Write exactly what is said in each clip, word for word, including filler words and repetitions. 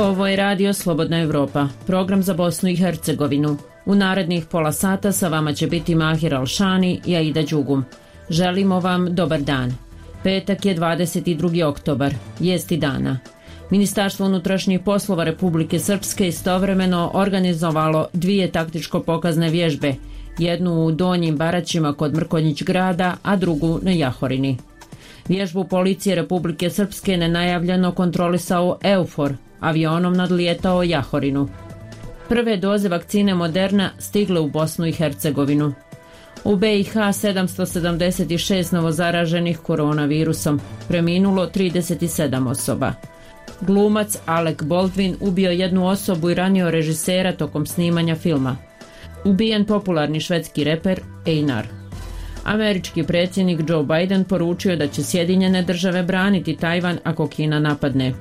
Ovo je radio Slobodna Evropa, program za Bosnu i Hercegovinu. U narednih pola sata sa vama će biti Mahir Alšani i Aida Đugum. Želimo vam dobar dan. Petak je dvadeset drugi oktobar, vijesti dana. Ministarstvo unutrašnjih poslova Republike Srpske istovremeno organizovalo dvije taktičko-pokazne vježbe, jednu u Donjim Baraćima kod Mrkonjić grada, a drugu na Jahorini. Vježbu policije Republike Srpske nenajavljeno kontrolisao EUFOR, avionom nadlijetao Jahorinu. Prve doze vakcine Moderna stigle u Bosnu i Hercegovinu. U B i H sedamsto sedamdeset šest novozaraženih koronavirusom, preminulo trideset sedam osoba. Glumac Alec Baldwin ubio jednu osobu i ranio režisera tokom snimanja filma. Ubijen popularni švedski reper Einar. Američki predsjednik Joe Biden poručio da će Sjedinjene države braniti Tajvan ako Kina napadne.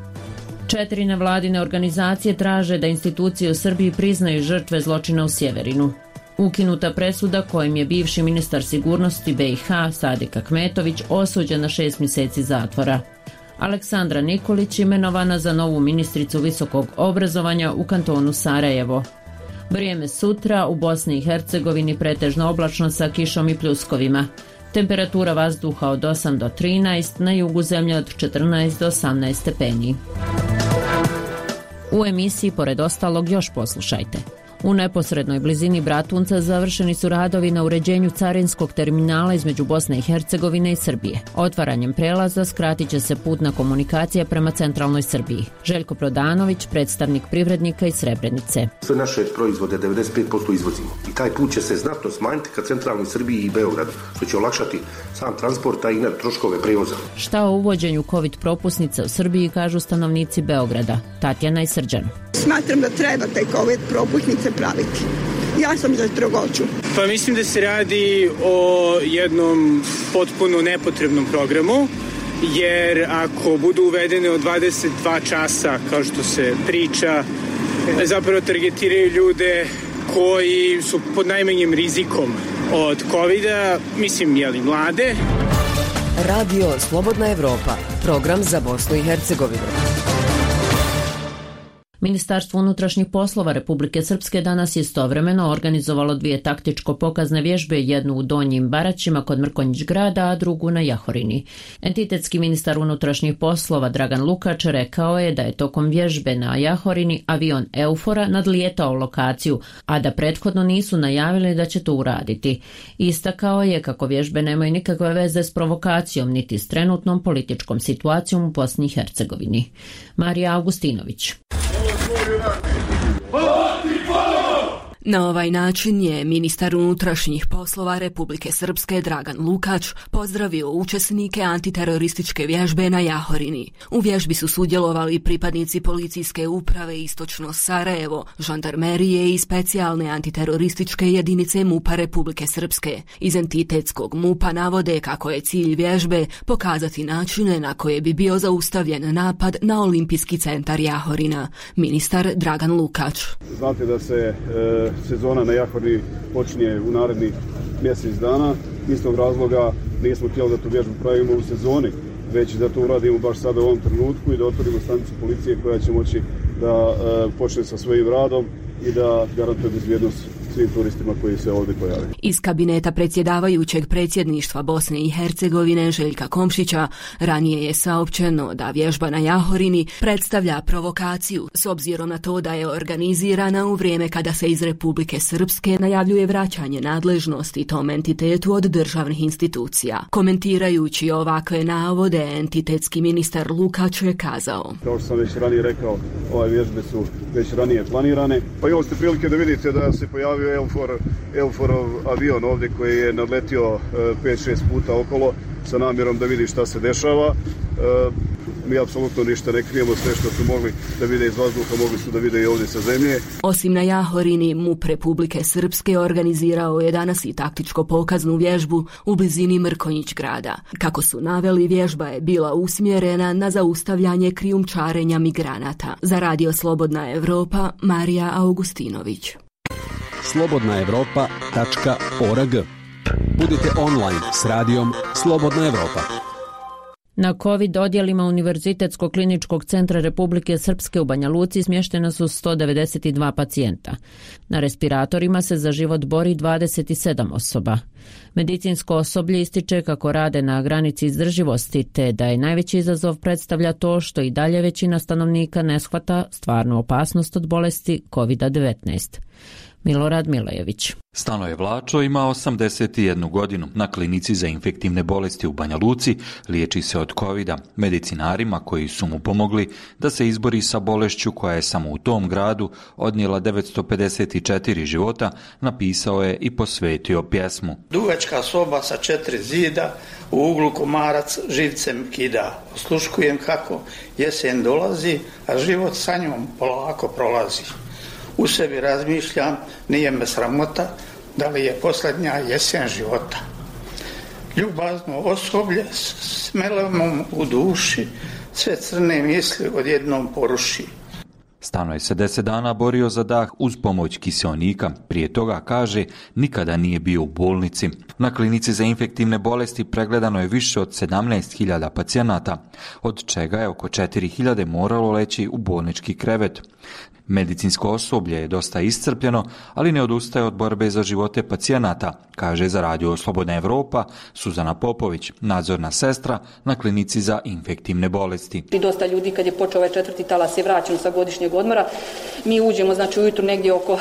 Četiri nevladine organizacije traže da institucije u Srbiji priznaju žrtve zločina u Sjeverinu. Ukinuta presuda kojim je bivši ministar sigurnosti B i H Sadik Ahmetović osuđen na šest mjeseci zatvora. Aleksandra Nikolić imenovana za novu ministricu visokog obrazovanja u kantonu Sarajevo. Vrijeme sutra u Bosni i Hercegovini pretežno oblačno sa kišom i pljuskovima. Temperatura vazduha od osam do trinaest, na jugu zemlje od četrnaest do osamnaest stepeni. U emisiji pored ostalog još poslušajte. U neposrednoj blizini Bratunca završeni su radovi na uređenju carinskog terminala između Bosne i Hercegovine i Srbije. Otvaranjem prelaza skratit će se putna komunikacija prema centralnoj Srbiji. Željko Prodanović, predstavnik privrednika iz Srebrenice. Sve naše proizvode devedeset pet posto izvozimo i taj put će se znatno smanjiti ka centralnoj Srbiji i Beogradu, što će olakšati sam transport, a i troškove prevoza. Šta o uvođenju COVID propusnica u Srbiji kažu stanovnici Beograda? Tatjana i Srđan. Smatram da treba taj COVID propusnice praviti. Ja sam za strogoću. Pa mislim da se radi o jednom potpuno nepotrebnom programu, jer ako budu uvedene od dvadeset dva časa, kao što se priča, zapravo targetiraju ljude koji su pod najmanjim rizikom od covida, mislim, jeli, mlade. Radio Slobodna Evropa, program za Bosnu i Hercegovinu. Ministarstvo unutrašnjih poslova Republike Srpske danas je istovremeno organizovalo dvije taktičko-pokazne vježbe, jednu u Donjim Baraćima kod Mrkonjić grada, a drugu na Jahorini. Entitetski ministar unutrašnjih poslova Dragan Lukač rekao je da je tokom vježbe na Jahorini avion EUFOR-a nadlijetao lokaciju, a da prethodno nisu najavili da će to uraditi. Istakao je kako vježbe nemaju nikakve veze s provokacijom niti s trenutnom političkom situacijom u Bosni i Hercegovini. Marija Augustinović. Na ovaj način je ministar unutrašnjih poslova Republike Srpske Dragan Lukač pozdravio učesnike antiterorističke vježbe na Jahorini. U vježbi su sudjelovali pripadnici policijske uprave Istočno Sarajevo, žandarmerije i specijalne antiterorističke jedinice MUP-a Republike Srpske. Iz entitetskog MUP-a navode kako je cilj vježbe pokazati načine na koje bi bio zaustavljen napad na Olimpijski centar Jahorina. Ministar Dragan Lukač. Znate da se e... sezona na Jahorini počinje u narednih mjesec dana. Iz tog razloga nismo htjeli da tu vježbu pravimo u sezoni, već da to uradimo baš sada u ovom trenutku i da otvorimo stanicu policije koja će moći da e, počne sa svojim radom i da garantuje bezbjednost svim turistima koji se ovdje pojave. Iz kabineta predsjedavajućeg predsjedništva Bosne i Hercegovine Željka Komšića ranije je saopćeno da vježba na Jahorini predstavlja provokaciju s obzirom na to da je organizirana u vrijeme kada se iz Republike Srpske najavljuje vraćanje nadležnosti tom entitetu od državnih institucija. Komentirajući ovakve navode, entitetski ministar Lukač je kazao: kao što sam već ranije rekao, ove vježbe su već ranije planirane. Pa imali ste prilike da vidite da se pojavio EUFOR, EUFORov avion ovdje koji je nadletio pet šest puta okolo sa namjerom da vidi šta se dešava. E, mi apsolutno ništa ne krijemo, sve što su mogli da vide iz vazduha mogli su da vide i ovdje sa zemlje. Osim na Jahorini, MUP Republike Srpske organizirao je danas i taktičko pokaznu vježbu u blizini Mrkonjić grada. Kako su naveli, vježba je bila usmjerena na zaustavljanje krijumčarenja migranata. Za Radio Slobodna Evropa, Marija Augustinović. slobodna evropa tačka org. Budite online s radijom Slobodna Evropa. Na COVID odjelima Univerzitetskog kliničkog centra Republike Srpske u Banja Luci smještena su sto devedeset dva pacijenta. Na respiratorima se za život bori dvadeset sedam osoba. Medicinsko osoblje ističe kako rade na granici izdrživosti, te da je najveći izazov predstavlja to što i dalje većina stanovnika ne shvata stvarnu opasnost od bolesti kovid devetnaest. Milorad Milejević. Stanoje Vlačo ima osamdeset jednu godinu. Na klinici za infektivne bolesti u Banja Luci liječi se od kovida. Medicinarima koji su mu pomogli da se izbori sa bolešću koja je samo u tom gradu odnijela devetsto pedeset četiri života, napisao je i posvetio pjesmu. Dugačka soba sa četiri zida, u uglu komarac živcem kida. Osluškujem kako jesen dolazi, a život sa njom polako prolazi. U sebi razmišljam, nije me sramota, da li je posljednja jesen života. Ljubazno osoblje s melemom u duši, sve crne misli odjednom poruši. Stano je se deset dana borio za dah uz pomoć kiseonika. Prije toga, kaže, nikada nije bio u bolnici. Na klinici za infektivne bolesti pregledano je više od sedamnaest hiljada pacijenata, od čega je oko četiri hiljade moralo leći u bolnički krevet. Medicinsko osoblje je dosta iscrpljeno, ali ne odustaje od borbe za živote pacijenata, kaže za Radio Slobodna Evropa Suzana Popović, nadzorna sestra na klinici za infektivne bolesti. I dosta ljudi kad je počeo ovaj četvrti talas je vraćeno sa godišnjeg odmora. Mi uđemo znači ujutru negdje oko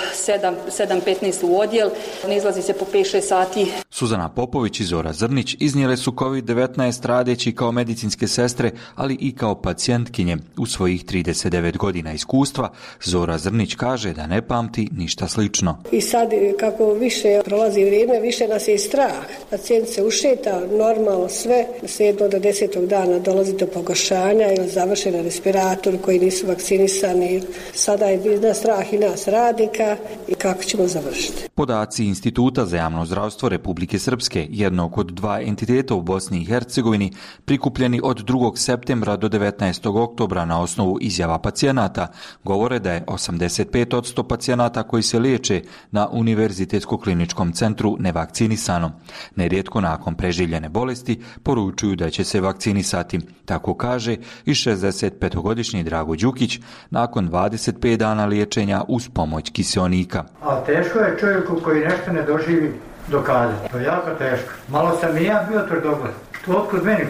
sedam petnaest u odjel, ne izlazi se po pet šest sati. Suzana Popović i Zora Zrnić iznijele su kovid devetnaest radeći kao medicinske sestre, ali i kao pacijentkinje. U svojih trideset devet godina iskustva Zora Zrnić kaže da ne pamti ništa slično. I sad kako više prolazi vrijeme, više nas je strah. Pacijent se ušeta, normalno sve, sedmog do desetog dana dolazi do pogoršanja ili završe na respiratoru koji nisu vakcinisani. Sada je na strah i nas radnika i kako ćemo završiti. Podaci Instituta za javno zdravstvo Republike Srpske, jednog od dva entiteta u Bosni i Hercegovini, prikupljeni od drugog septembra do devetnaestog oktobra na osnovu izjava pacijenata, govore da je osamdeset pet posto pacijenata koji se liječe na Univerzitetskom kliničkom centru nevakcinisano. Nerijetko nakon preživljene bolesti poručuju da će se vakcinisati. Tako kaže i šezdesetpetogodišnji Drago Đukić nakon dvadeset pet dana liječenja uz pomoć kiseonika. A teško je čovjeku koji nešto ne doživi dokazati. To je jako teško. Malo sam i ja bio tvrdogled. Otkud meni,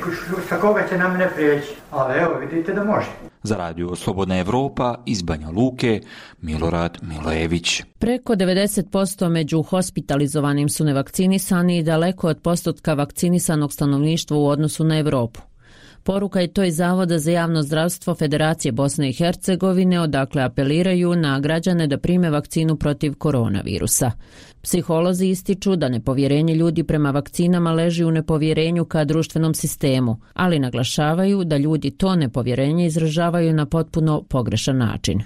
sa koga će na mene prijeći? Ali evo, vidite da može. Za Radio Slobodna Evropa iz Banja Luke, Milorad Milejević. Preko devedeset posto među hospitalizovanim su nevakcinisani i daleko od postotka vakcinisanog stanovništva u odnosu na Evropu. Poruka je to iz Zavoda za javno zdravstvo Federacije Bosne i Hercegovine, odakle apeliraju na građane da prime vakcinu protiv koronavirusa. Psiholozi ističu da nepovjerenje ljudi prema vakcinama leži u nepovjerenju ka društvenom sistemu, ali naglašavaju da ljudi to nepovjerenje izražavaju na potpuno pogrešan način.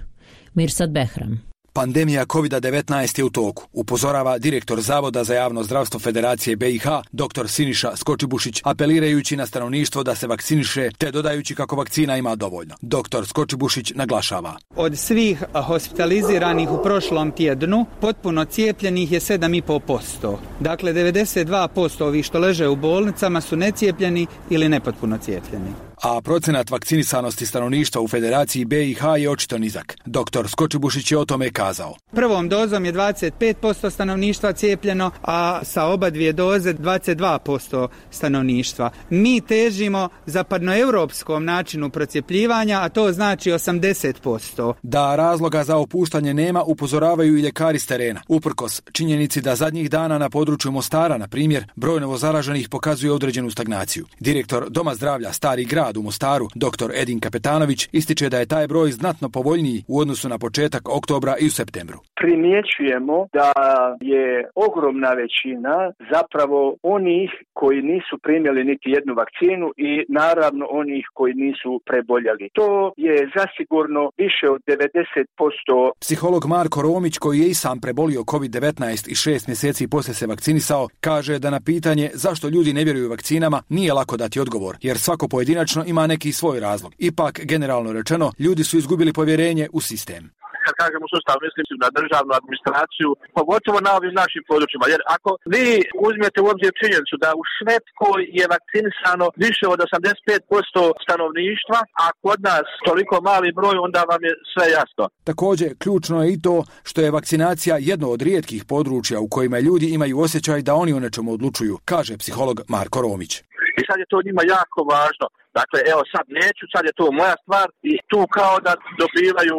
Mirsad Behram. Pandemija kovid devetnaest je u toku, upozorava direktor Zavoda za javno zdravstvo Federacije B i H, dr Siniša Skočibušić, apelirajući na stanovništvo da se vakciniše, te dodajući kako vakcina ima dovoljno. Doktor Skočibušić naglašava. Od svih hospitaliziranih u prošlom tjednu, potpuno cijepljenih je sedam i pol posto. Dakle, devedeset dva posto ovih što leže u bolnicama su necijepljeni ili nepotpuno cijepljeni. A procenat vakcinisanosti stanovništva u Federaciji B i H je očito nizak. Doktor Skočibušić je o tome kazao. Prvom dozom je dvadeset pet posto stanovništva cijepljeno, a sa oba dvije doze dvadeset dva posto stanovništva. Mi težimo zapadnoevropskom načinu procjepljivanja, a to znači osamdeset posto. Da razloga za opuštanje nema, upozoravaju i ljekari s terena. Uprkos činjenici da zadnjih dana na području Mostara, na primjer, broj novozaraženih pokazuje određenu stagnaciju. Direktor Doma zdravlja Stari grad u Mostaru, dr Edin Kapetanović, ističe da je taj broj znatno povoljniji u odnosu na početak oktobra i u septembru. Primjećujemo da je ogromna većina zapravo onih koji nisu primjeli niti jednu vakcinu i naravno onih koji nisu preboljeli. To je zasigurno više od devedeset posto. Psiholog Marko Romić, koji je i sam prebolio kovid devetnaest i šest mjeseci poslije se vakcinisao, kaže da na pitanje zašto ljudi ne vjeruju vakcinama nije lako dati odgovor, jer svako pojedinačno ima neki svoj razlog. Ipak, generalno rečeno, ljudi su izgubili povjerenje u sistem. kad kažemo sustav, mislim na državnu administraciju, pogotovo na ovim našim područjima. Jer ako vi uzmete u obzir činjenicu da u Švedskoj je vakcinisano više od osamdeset pet posto stanovništva, a kod nas toliko mali broj, onda vam je sve jasno. Također, ključno je i to što je vakcinacija jedno od rijetkih područja u kojima ljudi imaju osjećaj da oni o nečemu odlučuju, kaže psiholog Marko Romić. I sad je to njima jako važno. Dakle, evo sad neću, sad je to moja stvar i tu kao da dobivaju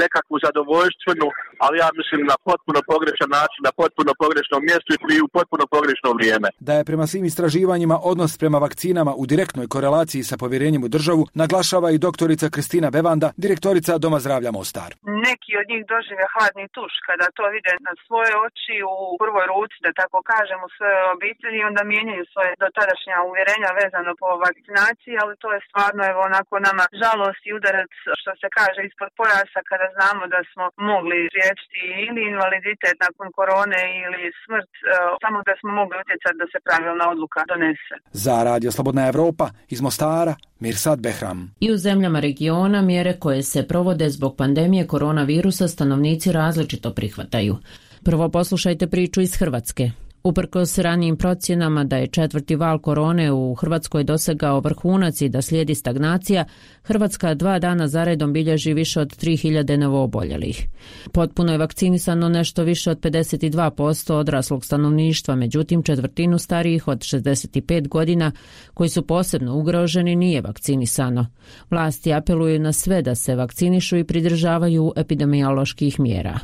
nekakvu zadovoljstvenu, ali ja mislim na potpuno pogrešan način, na potpuno pogrešnom mjestu i u potpuno pogrešno vrijeme. Da je prema svim istraživanjima odnos prema vakcinama u direktnoj korelaciji sa povjerenjem u državu, naglašava i doktorica Kristina Bevanda, direktorica Doma zdravlja Mostar. Neki od njih dožive hladni tuš kada to vide na svoje oči u prvoj ruci, da tako kažem, u svojoj obitelji i onda mijenjaju svoje dotadašnja uvjerenja vezano po vakcinaciji, ali to je stvarno evo onako nama žalost i udarac, što se kaže, ispod pojasa kada znamo da smo mogli spriječiti ili invaliditet nakon korone ili smrt, samo da smo mogli utjecati da se pravilna odluka donese. Za Radio Slobodna Evropa iz Mostara, Mirsad Behram. I u zemljama regiona mjere koje se provode zbog pandemije koronavirusa stanovnici različito prihvataju. Prvo poslušajte priču iz Hrvatske. Uprkos ranijim procjenama da je četvrti val korone u Hrvatskoj dosegao vrhunac i da slijedi stagnacija, Hrvatska dva dana zaredom bilježi više od tri hiljade novooboljelih. Potpuno je vakcinisano nešto više od pedeset dva posto odraslog stanovništva, međutim četvrtinu starijih od šezdeset pet godina koji su posebno ugroženi nije vakcinisano. Vlasti apeluju na sve da se vakcinišu i pridržavaju epidemioloških mjera.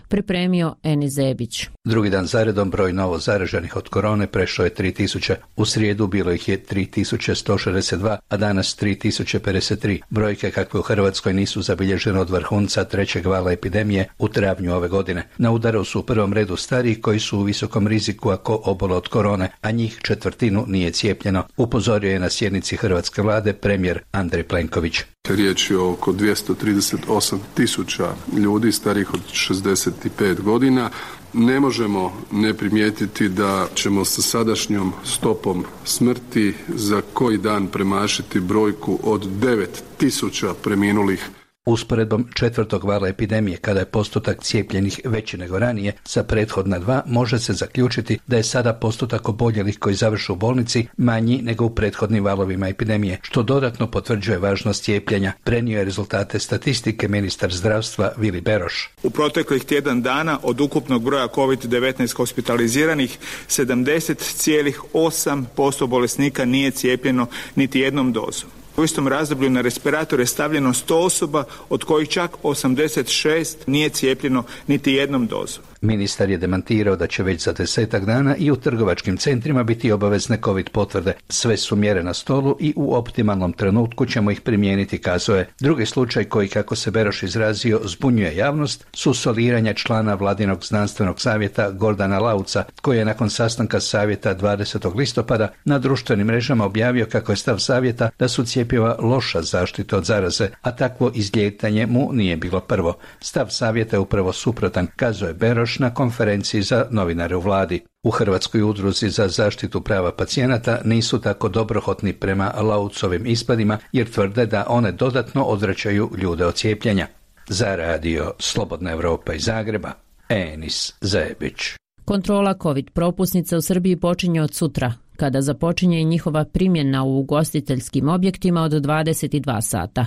Pripremio Eni Zebić. Drugi dan zaredom broj novo zaraženih od korone prešao je tri tisuće. U srijedu bilo ih je tri tisuće sto šezdeset dva, a danas tri tisuće pedeset tri. Brojke kakve u Hrvatskoj nisu zabilježene od vrhunca trećeg vala epidemije u travnju ove godine. Na udaru su u prvom redu stariji koji su u visokom riziku ako obole od korone, a njih četvrtinu nije cijepljeno. Upozorio je na sjednici hrvatske vlade premijer Andrej Plenković. Riječ je oko dvjesto trideset osam tisuća ljudi starih od šezdeset pet godina. Ne možemo ne primijetiti da ćemo sa sadašnjom stopom smrti za koji dan premašiti brojku od devet tisuća preminulih. Usporedbom četvrtog vala epidemije, kada je postotak cijepljenih veći nego ranije, sa prethodna dva može se zaključiti da je sada postotak oboljelih koji završe u bolnici manji nego u prethodnim valovima epidemije, što dodatno potvrđuje važnost cijepljenja. Prenio je rezultate statistike ministar zdravstva Vili Beroš. U proteklih tjedan dana od ukupnog broja kovid devetnaest hospitaliziranih sedamdeset zarez osam posto bolesnika nije cijepljeno niti jednom dozom. U istom razdoblju na respirator je stavljeno sto osoba, od kojih čak osamdeset šest nije cijepljeno niti jednom dozom. Ministar je demantirao da će već za desetak dana i u trgovačkim centrima biti obavezne covid potvrde. Sve su mjere na stolu i u optimalnom trenutku ćemo ih primijeniti, kazao je. Drugi slučaj koji, kako se Beroš izrazio, zbunjuje javnost su soliranja člana vladinog znanstvenog savjeta Gordana Lauca, koji je nakon sastanka savjeta dvadesetog listopada na društvenim mrežama objavio kako je stav savjeta da su cjepiva loša zaštita od zaraze, a takvo izlijetanje mu nije bilo prvo. Stav savjeta je upravo suprotan, kazao je Beroš na konferenciji za novinare u vladi. U Hrvatskoj udruzi za zaštitu prava pacijenata nisu tako dobrohotni prema Laucovim ispadima, jer tvrde da one dodatno odvraćaju ljude od cijepljenja. Za Radio Slobodna Evropa iz Zagreba, Enis Zebić. Kontrola COVID propusnica u Srbiji počinje od sutra, kada započinje i njihova primjena u ugostiteljskim objektima od dvadeset dva sata,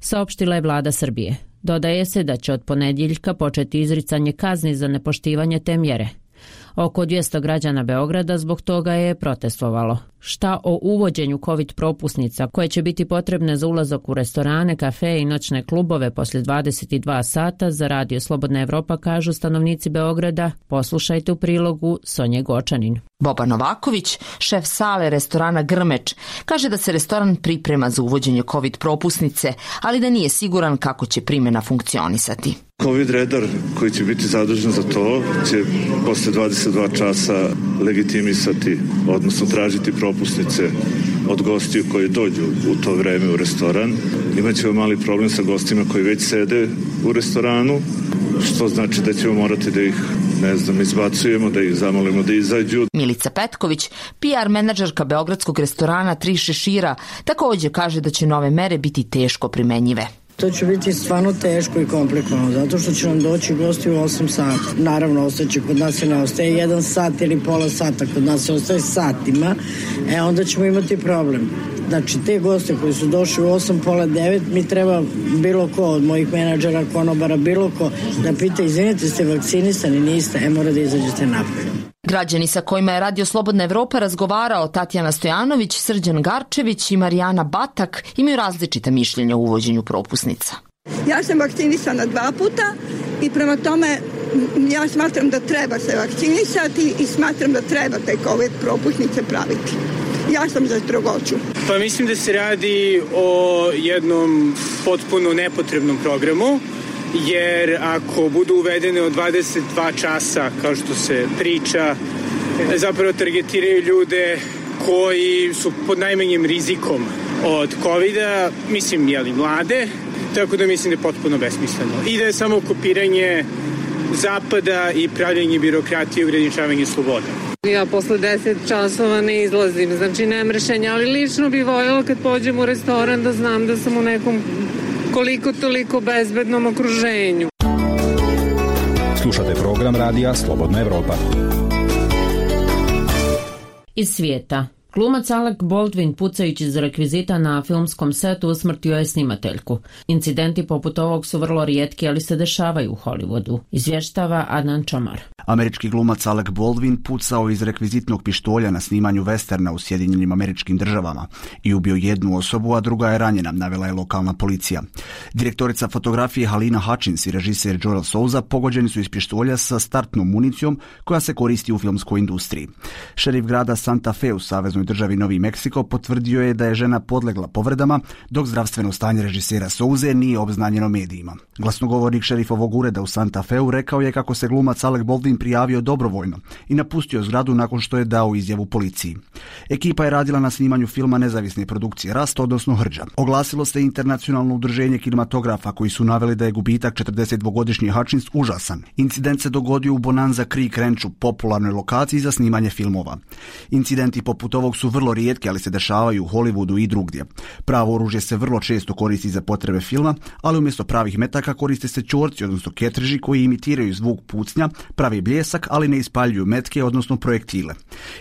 saopštila je vlada Srbije. Dodaje se da će od ponedjeljka početi izricanje kazni za nepoštivanje te mjere. Oko dvjesto građana Beograda zbog toga je protestovalo. Šta o uvođenju COVID propusnica koje će biti potrebne za ulazak u restorane, kafe i noćne klubove poslije dvadeset dva sata za Radio Slobodna Evropa kažu stanovnici Beograda? Poslušajte u prilogu Sonje Gočanin. Boba Novaković, šef sale restorana Grmeč, kaže da se restoran priprema za uvođenje COVID propusnice, ali da nije siguran kako će primjena funkcionisati. COVID redar koji će biti zadužen za to će posle dvadeset dva časa legitimisati, odnosno tražiti propusnice od gostiju koji dođu u to vreme u restoran. Imaćemo mali problem sa gostima koji već sede u restoranu, što znači da ćemo morati da ih, ne znam, izbacujemo, da ih zamolimo da izađu. Milica Petković, P R menadžerka beogradskog restorana Tri šešira, također kaže da će nove mere biti teško primenjive. To će biti stvarno teško i komplikovano, zato što će nam doći gosti u osam sati. Naravno, ostaće kod nas i ne ostaje jedan sat ili pola sata, kod nas se ostaje satima, e onda ćemo imati problem. Znači, te goste koji su došli u osam, pola devet, mi treba bilo ko od mojih menadžera, konobara, bilo ko da pita, izvinite, ste vakcinisani, niste, e mora da izađete napolje. Građani sa kojima je Radio Slobodna Evropa razgovarao Tatjana Stojanović, Srđan Garčević i Marijana Batak imaju različita mišljenja o uvođenju propusnica. Ja sam vakcinisana dva puta i prema tome ja smatram da treba se vakcinisati i smatram da treba te COVID propusnice praviti. Ja sam za strogoću. Pa mislim da se radi o jednom potpuno nepotrebnom programu, jer ako budu uvedene od dvadeset dva časa, kao što se priča, zapravo targetiraju ljude koji su pod najmanjim rizikom od kovida, mislim, jeli, mlade, tako da mislim da je potpuno besmisleno. I da je samo kopiranje zapada i pravljenje birokratije i ograničavanje sloboda. Ja posle deset časova ne izlazim, znači nemam rešenja, ali lično bi voljela kad pođem u restoran da znam da sam u nekom koliko toliko bezbednom okruženju. Slušate program radija Slobodna Evropa. Iz svijeta. Glumac Alec Baldwin pucajući iz rekvizita na filmskom setu usmrtio je snimateljku. Incidenti poput ovog su vrlo rijetki, ali se dešavaju u Hollywoodu, izvještava Adnan Čomar. Američki glumac Alec Baldwin pucao iz rekvizitnog pištolja na snimanju westerna u Sjedinjenim Američkim Državama i ubio jednu osobu, a druga je ranjena, navela je lokalna policija. Direktorica fotografije Halina Hutchins i režiser Joel Souza pogođeni su iz pištolja sa startnom municijom koja se koristi u filmskoj industriji. Šerif grada Santa Fe u saveznoj državi Novi Meksiko potvrdio je da je žena podlegla povredama, dok zdravstveno stanje režisera Souze nije obznanjeno medijima. Glasnogovornik šerifovog ureda u Santa Feu rekao je kako se glumac Alec Baldwin prijavio dobrovoljno i napustio zgradu nakon što je dao izjavu policiji. Ekipa je radila na snimanju filma nezavisne produkcije Rast, odnosno Hrđa. Oglasilo se internacionalno udruženje kinematografa koji su naveli da je gubitak četrdesetdvogodišnje Hutchins užasan. Incident se dogodio u Bonanza Creek Ranchu, popularnoj lokaciji za snimanje filmova. Incidenti poput ovog su vrlo rijetki, ali se dešavaju u Hollywoodu i drugdje. Pravo oružje se vrlo često koristi za potrebe filma, ali umjesto pravih metaka koriste se čorci, odnosno ketriži koji imitiraju zvuk pucnja, pravi bljesak, ali ne ispaljuju metke, odnosno projektile.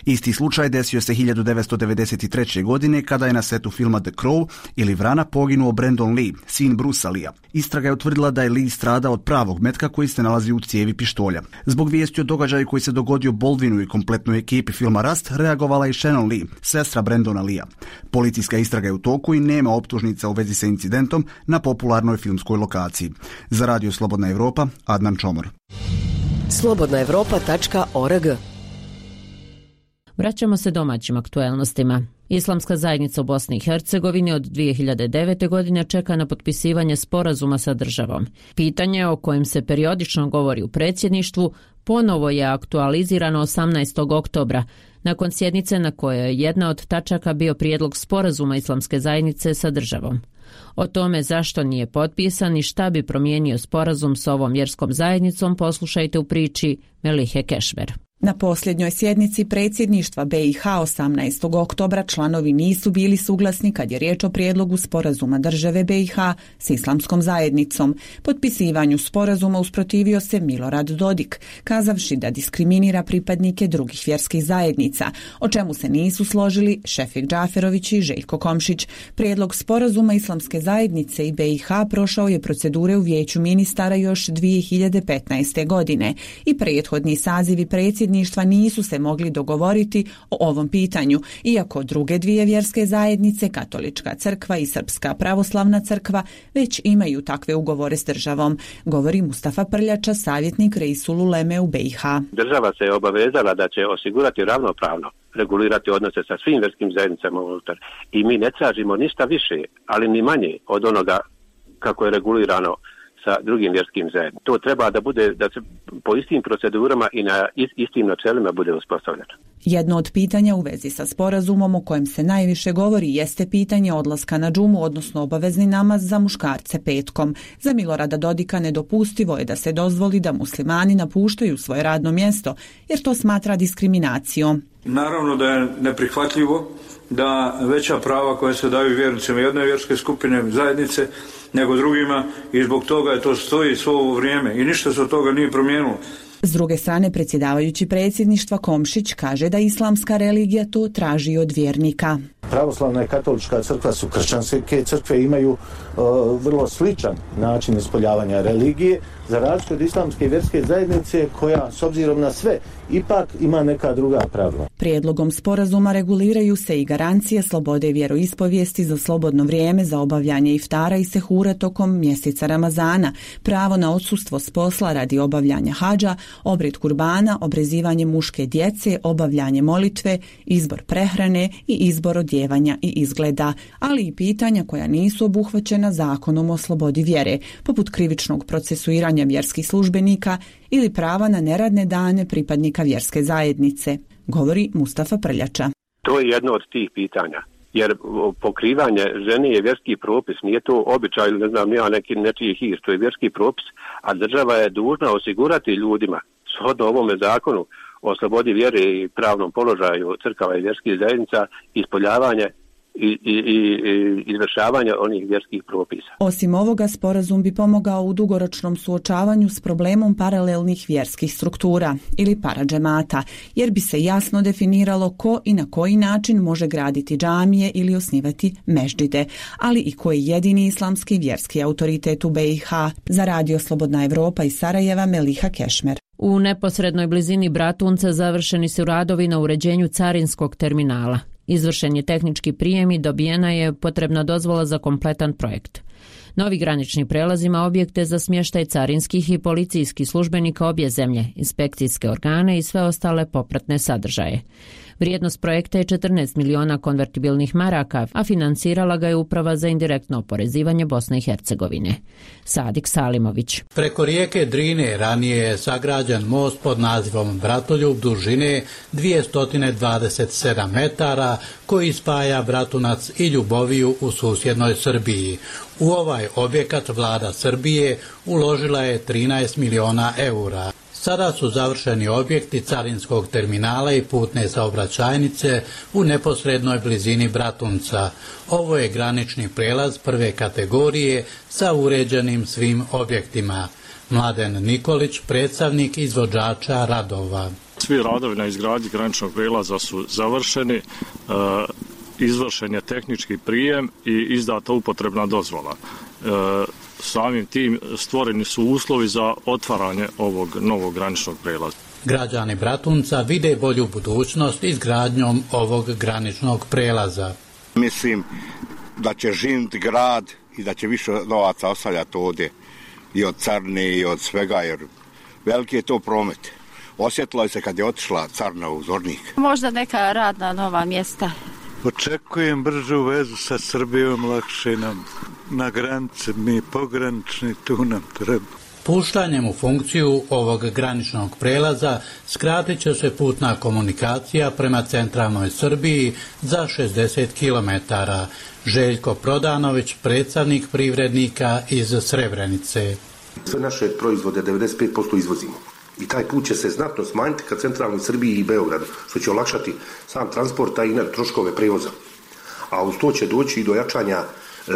Isti slučaj desio se hiljadu devetsto devedeset treće. godine kada je na setu filma The Crow ili Vrana poginuo Brandon Lee, sin Brucea Leea. Istraga je utvrdila da je Lee strada od pravog metka koji se nalazi u cijevi pištolja. Zbog vijesti o događaju koji se dogodio Baldwinu i kompletnoj ekipi filma Rast reagovala i Shannon Lee, sestra Brandona Leea. Policijska istraga je u toku i nema optužnica u vezi sa incidentom na popularnoj filmskoj lokaciji. Za Radio Slobodna Evropa, Adnan Čomor. slobodna evropa tačka org. Vraćamo se domaćim aktuelnostima. Islamska zajednica u Bosni i Hercegovini od dvije hiljade devete. godine čeka na potpisivanje sporazuma sa državom. Pitanje o kojem se periodično govori u predsjedništvu ponovo je aktualizirano osamnaestog oktobra, nakon sjednice na kojoj je jedna od tačaka bio prijedlog sporazuma Islamske zajednice sa državom. O tome zašto nije potpisan i šta bi promijenio sporazum s ovom vjerskom zajednicom poslušajte u priči Melihe Kešver. Na posljednjoj sjednici predsjedništva be i ha osamnaestog oktobra članovi nisu bili suglasni kad je riječ o prijedlogu sporazuma države be i ha s Islamskom zajednicom. Potpisivanju sporazuma usprotivio se Milorad Dodik, kazavši da diskriminira pripadnike drugih vjerskih zajednica, o čemu se nisu složili Šefik Džaferović i Željko Komšić. Prijedlog sporazuma Islamske zajednice i be i ha prošao je procedure u Vijeću ministara još dvije hiljade petnaeste. godine i prethodni sazivi predsjedništva nisu se mogli dogovoriti o ovom pitanju, iako druge dvije vjerske zajednice, Katolička crkva i Srpska pravoslavna crkva, već imaju takve ugovore s državom, govori Mustafa Prljača, savjetnik Reisul Uleme u be i ha. Država se je obavezala da će osigurati ravnopravno regulirati odnose sa svim vjerskim zajednicama unutar i mi ne tražimo ništa više, ali ni manje od onoga kako je regulirano sa drugim vjerskim zajednicama. To treba da bude, da se po istim procedurama i na istim načelima bude uspostavljeno. Jedno od pitanja u vezi sa sporazumom o kojem se najviše govori jeste pitanje odlaska na džumu, odnosno obavezni namaz za muškarce petkom. Za Milorada Dodika nedopustivo je da se dozvoli da muslimani napuštaju svoje radno mjesto, jer to smatra diskriminacijom. Naravno da je neprihvatljivo da veća prava koja se daju vjernicima jedne vjerske skupine zajednice nego drugima i zbog toga je to stoji svo ovo vrijeme i ništa se od toga nije promijenilo. S druge strane, predsjedavajući predsjedništva Komšić kaže da islamska religija to traži od vjernika. Pravoslavna i katolička crkva su kršćanske crkve, imaju uh, vrlo sličan način ispoljavanja religije, za razliku od islamske vjerske zajednice koja, s obzirom na sve, ipak ima neka druga pravila. Prijedlogom sporazuma reguliraju se i garancije slobode vjeroispovijesti za slobodno vrijeme za obavljanje iftara i sehura tokom mjeseca Ramazana, pravo na odsustvo s posla radi obavljanja hadža, obred kurbana, obrezivanje muške djece, obavljanje molitve, izbor prehrane i izbor odjevanja i izgleda, ali i pitanja koja nisu obuhvaćena zakonom o slobodi vjere, poput krivičnog procesuiranja vjerskih službenika ili prava na neradne dane pripadnika vjerske zajednice, govori Mustafa Prljača. To je jedno od tih pitanja, jer pokrivanje žene je vjerski propis, nije to običaj ili ne znam ja neki nečiji hir, to je vjerski propis, a država je dužna osigurati ljudima shodno ovome zakonu o slobodi vjere i pravnom položaju crkava i vjerskih zajednica ispoljavanje i, i, i izvršavanje onih vjerskih propisa. Osim ovoga, sporazum bi pomogao u dugoročnom suočavanju s problemom paralelnih vjerskih struktura ili paradžemata, jer bi se jasno definiralo ko i na koji način može graditi džamije ili osnivati meždžide, ali i koji je jedini islamski vjerski autoritet u B i H. Za Radio Slobodna Evropa iz Sarajeva, Meliha Kešmer. U neposrednoj blizini Bratunca završeni su radovi na uređenju carinskog terminala. Izvršen je tehnički prijem i dobijena je potrebna dozvola za kompletan projekt. Novi granični prelaz ima objekte za smještaj carinskih i policijskih službenika obje zemlje, inspekcijske organe i sve ostale popratne sadržaje. Vrijednost projekta je četrnaest miliona konvertibilnih maraka, a financirala ga je Uprava za indirektno oporezivanje Bosne i Hercegovine. Sadik Salimović. Preko rijeke Drine ranije je sagrađen most pod nazivom Bratoljub dužine dvjesto dvadeset sedam metara koji spaja Bratunac i Ljuboviju u susjednoj Srbiji. U ovaj objekat vlada Srbije uložila je trinaest miliona eura. Sada su završeni objekti carinskog terminala i putne saobraćajnice u neposrednoj blizini Bratunca. Ovo je granični prijelaz prve kategorije sa uređenim svim objektima. Mladen Nikolić, predstavnik izvođača radova. Svi radovi na izgradnji graničnog prijelaza su završeni, izvršen je tehnički prijem i izdata upotrebna dozvola. Samim tim stvoreni su uslovi za otvaranje ovog novog graničnog prijelaza. Građani Bratunca vide bolju budućnost izgradnjom ovog graničnog prijelaza. Mislim da će živjeti grad i da će više novaca ostavljati ovdje i od carne i od svega, jer veliki je to promet. Osjetilo je se kad je otišla carna u Zornik. Možda neka radna nova mjesta. Očekujem bržu vezu sa Srbijom, lakše nam na granici, mi pogranični, tu nam treba. Puštanjem u funkciju ovog graničnog prelaza skratit će se putna komunikacija prema centralnoj Srbiji za šezdeset kilometara. Željko Prodanović, predstavnik privrednika iz Srebrenice. Sve naše proizvode devedeset pet posto izvozimo. I taj put će se znatno smanjiti ka centralnoj Srbiji i Beogradu, što će olakšati sam transport, a i troškove prevoza. A uz to će doći i do jačanja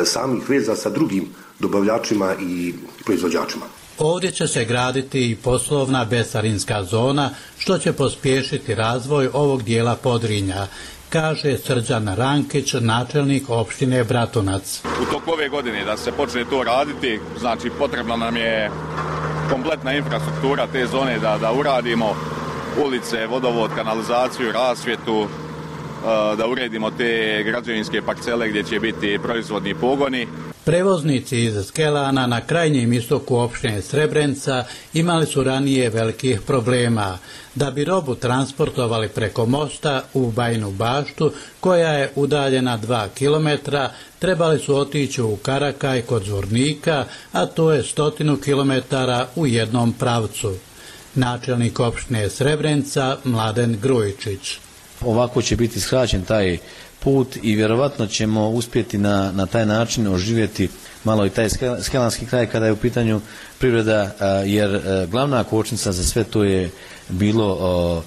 samih veza sa drugim dobavljačima i proizvođačima. Ovdje će se graditi i poslovna bescarinska zona, što će pospješiti razvoj ovog dijela Podrinja, kaže Srđan Rankić, načelnik opštine Bratunac. U toku ove godine da se počne to raditi, znači potrebna nam je kompletna infrastruktura te zone da, da uradimo ulice, vodovod, kanalizaciju, rasvjetu, da uredimo te građevinske parcele gdje će biti proizvodni pogoni. Prevoznici iz Skelana na krajnjem istoku opštine Srebrenica imali su ranije velikih problema. Da bi robu transportovali preko mosta u Bajinu Baštu, koja je udaljena dva kilometra, trebali su otići u Karakaj kod Zvornika, a to je stotinu kilometara u jednom pravcu. Načelnik opštine Srebrenica Mladen Grujičić. Ovako će biti skraćen taj put i vjerovatno ćemo uspjeti na, na taj način oživjeti malo i taj skelanski kraj kada je u pitanju privreda, jer glavna kočnica za sve to je bilo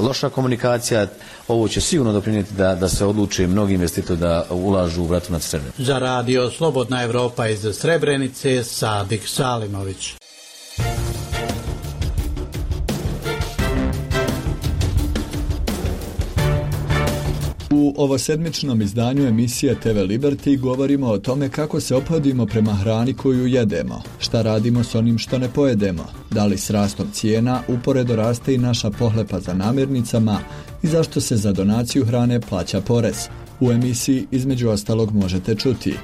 loša komunikacija. Ovo će sigurno doprinijeti da, da se odluče mnogi investitori da ulažu u Bratunac Srebrenicu. Za radio Slobodna Evropa iz Srebrenice, Sadik Salimović. U ovosedmičnom izdanju emisije te ve Liberty govorimo o tome kako se ophodimo prema hrani koju jedemo, šta radimo s onim što ne pojedemo, da li s rastom cijena uporedo raste i naša pohlepa za namirnicama i zašto se za donaciju hrane plaća porez. U emisiji između ostalog možete čuti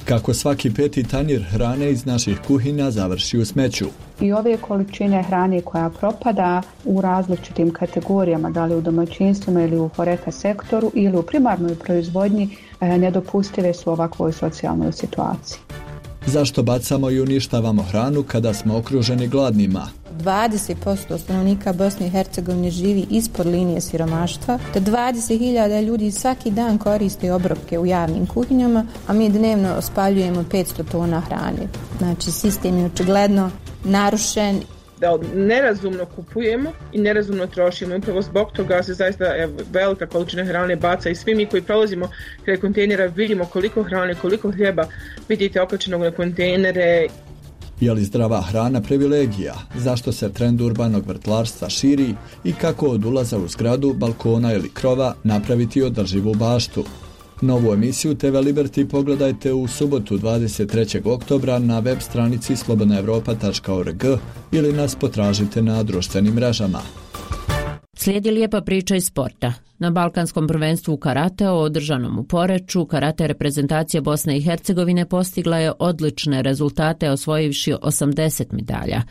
kako svaki peti tanjir hrane iz naših kuhinja završi u smeću. I ove količine hrane koja propada u različitim kategorijama, da li u domaćinstvima ili u horeka sektoru ili u primarnoj proizvodnji, nedopustive su u ovakvoj socijalnoj situaciji. Zašto bacamo i uništavamo hranu kada smo okruženi gladnima? dvadeset posto stanovnika Bosne i Hercegovine živi ispod linije siromaštva, te dvadeset hiljada ljudi svaki dan koriste obrokke u javnim kuhinjama, a mi dnevno spaljujemo petsto tona hrane. Znači, sistem je očigledno narušen. Da nerazumno kupujemo i nerazumno trošimo. Upravo zbog toga se zaista evo, velika količina hrane baca i svi mi koji prolazimo kraj kontejnera vidimo koliko hrane, koliko hljeba vidite okačenog na kontejnere. Je li zdrava hrana privilegija? Zašto se trend urbanog vrtlarstva širi i kako od ulaza u zgradu, balkona ili krova napraviti održivu baštu? Novu emisiju te ve Liberty pogledajte u subotu dvadeset trećeg oktobra na web stranici slobodna evropa tačka org ili nas potražite na društvenim mrežama. Slijedi lijepa priča iz sporta. Na Balkanskom prvenstvu u karateu održanom u Poreču, karate reprezentacija Bosne i Hercegovine postigla je odlične rezultate osvojivši osamdeset medalja.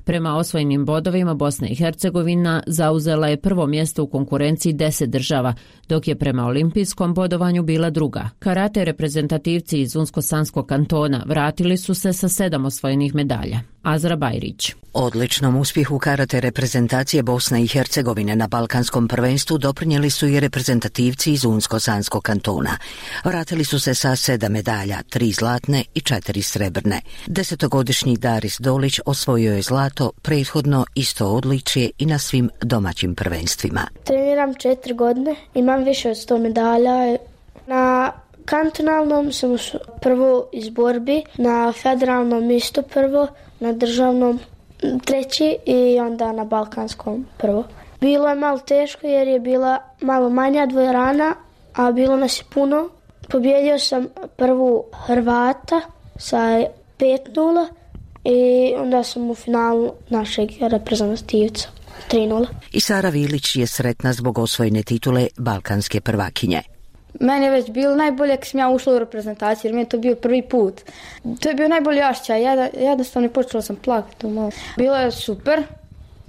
Prema osvojenim bodovima Bosna i Hercegovina zauzela je prvo mjesto u konkurenciji deset država, dok je prema olimpijskom bodovanju bila druga. Karate reprezentativci iz Unsko-Sanskog kantona vratili su se sa sedam osvojenih medalja. Azra Bajrić. Odličnom uspjehu karate reprezentacije Bosne i Hercegovine na Balkanskom prvenstvu doprinijeli su i reprezentativci iz Unsko-Sanskog kantona. Vratili su se sa sedam medalja, tri zlatne i četiri srebrne. Desetogodišnji Daris Dolić osvojio je zlato, prethodno isto odličje i na svim domaćim prvenstvima. Treniram četiri godine, imam više od sto medalja. Na kantonalnom sam prvo iz borbi, na federalnom isto prvo, na državnom treći i onda na balkanskom prvo. Bilo je malo teško jer je bila malo manja dvorana, a bilo nas je puno. Pobjedio sam prvu Hrvata sa pet nula i onda sam u finalu našeg reprezentativca tri nula. I Sara Vilić je sretna zbog osvojene titule balkanske prvakinje. Meni je već bilo najbolje kad sam ja ušla u reprezentaciju, jer mi je to bio prvi put. To je bio najbolji osjećaj, ja jednostavno počela sam plakati. Bilo je super,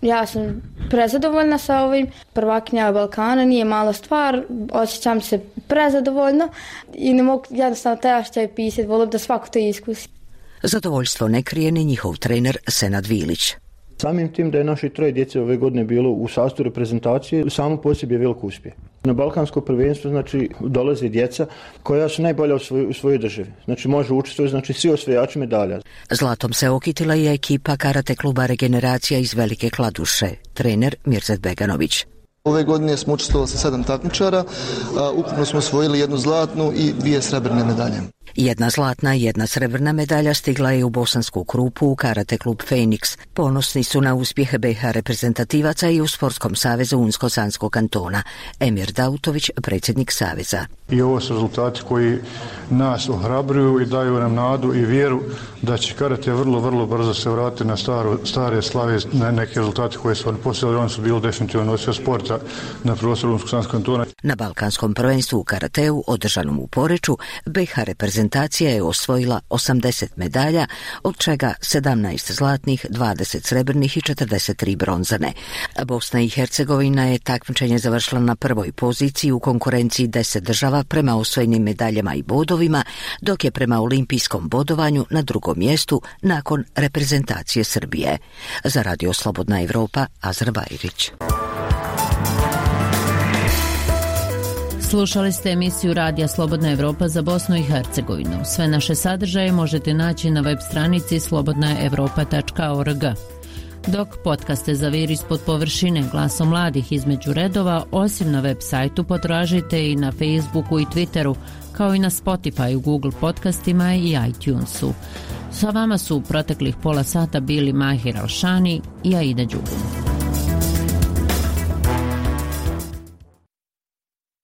ja sam prezadovoljna sa ovim. Prvakinja Balkana nije mala stvar, osjećam se prezadovoljno i ne mogu jednostavno taj osjećaj pisati, volim da svako to iskusi. Zadovoljstvo ne krije ni njihov trener Senad Vilić. Samim tim da je naše troje djece ove godine bilo u sastavu reprezentacije, samo po sebi je velik uspjeh. Na balkansko prvenstvo znači dolaze djeca koja su najbolja u svojoj, u svojoj državi. Znači može učestvovati znači svi osvajači medalja. Zlatom se okitila i ekipa karate kluba Regeneracija iz Velike Kladuše, trener Mirzet Beganović. Ove godine smo učestvovali sa sedam takmičara, ukupno smo osvojili jednu zlatnu i dvije srebrne medalje. Jedna zlatna i jedna srebrna medalja stigla je u Bosansku Krupu u karate klub Feniks. Ponosni su na uspjeh be i ha reprezentativaca i u Sportskom savezu Unsko-Sanskog kantona. Emir Dautović, predsjednik saveza. I ovo su rezultati koji nas ohrabruju i daju nam nadu i vjeru da će karate vrlo, vrlo brzo se vratiti na staro, stare slave, na neke rezultate koje su oni postojali. Oni su bili definitivno nosio sporta na prostoru Unsko-Sanskog kantona. Na balkanskom prvenstvu u karateu, održanom u Poreču, be i ha reprezentacija je osvojila osamdeset medalja, od čega sedamnaest zlatnih, dvadeset srebrnih i četrdeset tri bronzane. Bosna i Hercegovina je takmičenje završila na prvoj poziciji u konkurenciji deset država prema osvojenim medaljama i bodovima, dok je prema olimpijskom bodovanju na drugom mjestu nakon reprezentacije Srbije. Za Radio Slobodna Evropa, Azra Bajrić. Slušali ste emisiju Radija Slobodna Evropa za Bosnu i Hercegovinu. Sve naše sadržaje možete naći na web stranici slobodna evropa tačka org. Dok podcaste Zavir ispod površine glasom mladih između redova, osim na web sajtu potražite i na Facebooku i Twitteru, kao i na Spotify, Google podcastima i iTunesu. Sa vama su u proteklih pola sata bili Mahir Alšani i Aida Đugum.